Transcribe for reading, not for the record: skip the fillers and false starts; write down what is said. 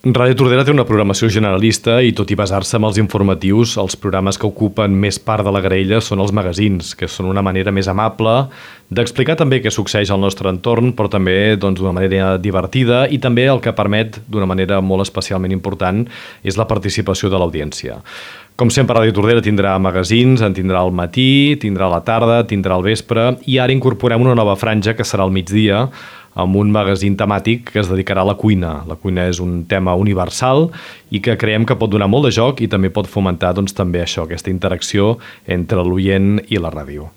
Ràdio Tordera té una programació generalista i tot i basar-se en els informatius, els programes que ocupen més part de la graella són els magazins, que són una manera més amable d'explicar també què succeeix al nostre entorn, però també d'una manera divertida i també el que permet, d'una manera molt especialment important, és la participació de l'audiència. Com sempre, Ràdio Tordera tindrà magazins, en tindrà al matí, tindrà a la tarda, tindrà al vespre i ara incorporem una nova franja que serà al migdia, amb un magazín temàtic que es dedicarà a la cuina. La cuina és un tema universal i que creiem que pot donar molt de joc i també pot fomentar també això, aquesta interacció entre l'oient i la ràdio.